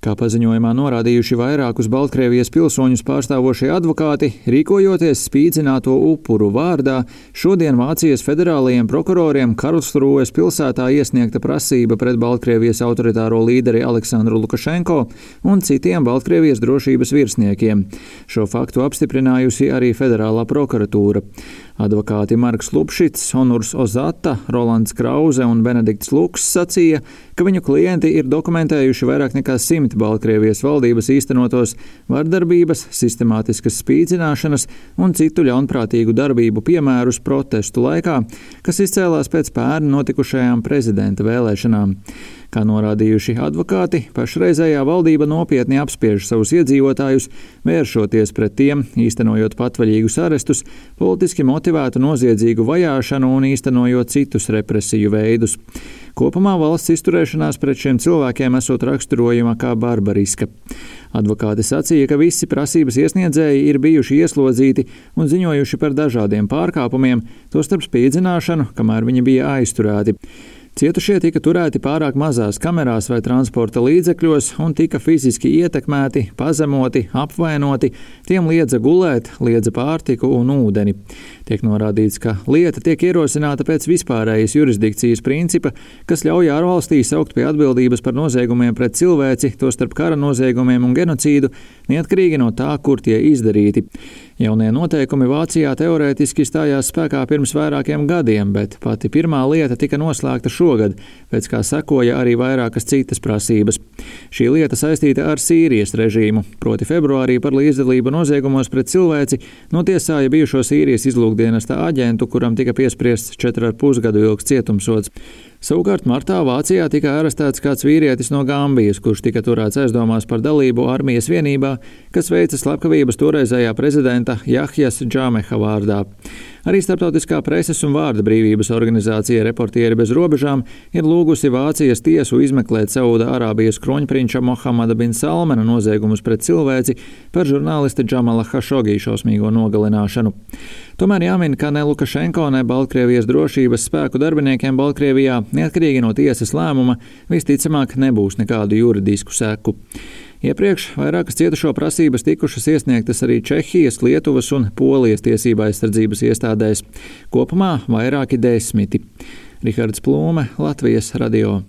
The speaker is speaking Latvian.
Kā paziņojumā norādījuši vairākus Baltkrievijas pilsoņus pārstāvošie advokāti, rīkojoties spīdzināto upuru vārdā, šodien Vācijas federālajiem prokuroriem Karlsrūhes pilsētā iesniegta prasība pret Baltkrievijas autoritāro līderi Aleksandru Lukašenko un citiem Baltkrievijas drošības virsniekiem. Šo faktu apstiprinājusi arī federālā prokuratūra. Advokāti Marks Lupšits, Onurs Ozata, Rolands Krauze un Benedikts Luks sacīja, ka viņu klienti ir dokumentējuši vairāk nekā 100 Baltkrievijas valdības īstenotos vardarbības, sistemātiskas spīdzināšanas un citu ļaunprātīgu darbību piemērus protestu laikā, kas izcēlās pēc pērn notikušajām prezidenta vēlēšanām. Kā norādījuši advokāti, pašreizējā valdība nopietni apspiež savus iedzīvotājus, vēršoties pret tiem, īstenojot patvaļīgus arestus, politiski motivētu noziedzīgu vajāšanu un īstenojot citus represiju veidus. Kopumā valsts izturēšanās pret šiem cilvēkiem esot raksturojama kā barbariska. Advokāti sacīja, ka visi prasības iesniedzēji ir bijuši ieslodzīti un ziņojuši par dažādiem pārkāpumiem, tostarp spīdzināšanu, kamēr viņi bija aizturēti. Cietušie tika turēti pārāk mazās kamerās vai transporta līdzekļos un tika fiziski ietekmēti, pazemoti, apvainoti, tiem liedza gulēt, liedza pārtiku un ūdeni. Tiek norādīts, ka lieta tiek ierosināta pēc vispārējas jurisdikcijas principa, kas ļauj ārvalstī saukt pie atbildības par noziegumiem pret cilvēci, tostarp kara noziegumiem un genocīdu, neatkarīgi no tā, kur tie izdarīti. Jaunie noteikumi Vācijā teorētiski stājās spēkā pirms vairākiem gadiem, bet pati pirmā lieta tika noslēgta šogad, pēc kā sekoja arī vairākas citas prasības. Šī lieta saistīta ar Sīrijas režīmu, proti februārī par līdzdalību noziegumos pret cilvēci notiesāja bijušo Sīrijas izlūkdienesta aģentu, kuram tika piespriests 4,5 gadu ilgs cietumsods. Savukārt martā Vācijā tika arestēts kāds vīrietis no Gambijas, kurš tika turēts aizdomās par dalību armijas vienībā, kas veica slepkavības toreizējā prezidenta Jahjas Džameha vārdā. Arī Starptautiskā preses un vārda brīvības organizācija Reportieri bez robežām ir lūgusi Vācijas tiesu izmeklēt Sauda Arābijas kroņprinča Mohamada bin Salmana noziegumus pret cilvēci par žurnālista Džamala Hašogī šausmīgo nogalināšanu. Tomēr jāmin, ka ne Lukašenko, ne Baltkrievijas drošības spēku darbiniekiem Baltkrievijā, neatkarīgi no tiesas lēmuma, visticamāk nebūs nekādu juridisku seku. Iepriekš vairākas cietušo prasības tikušas iesniegtas arī Čehijas, Lietuvas un Polijas tiesība aizsardzības iestādēs. Kopumā vairāki 10. Rihards Plūme, Latvijas radio.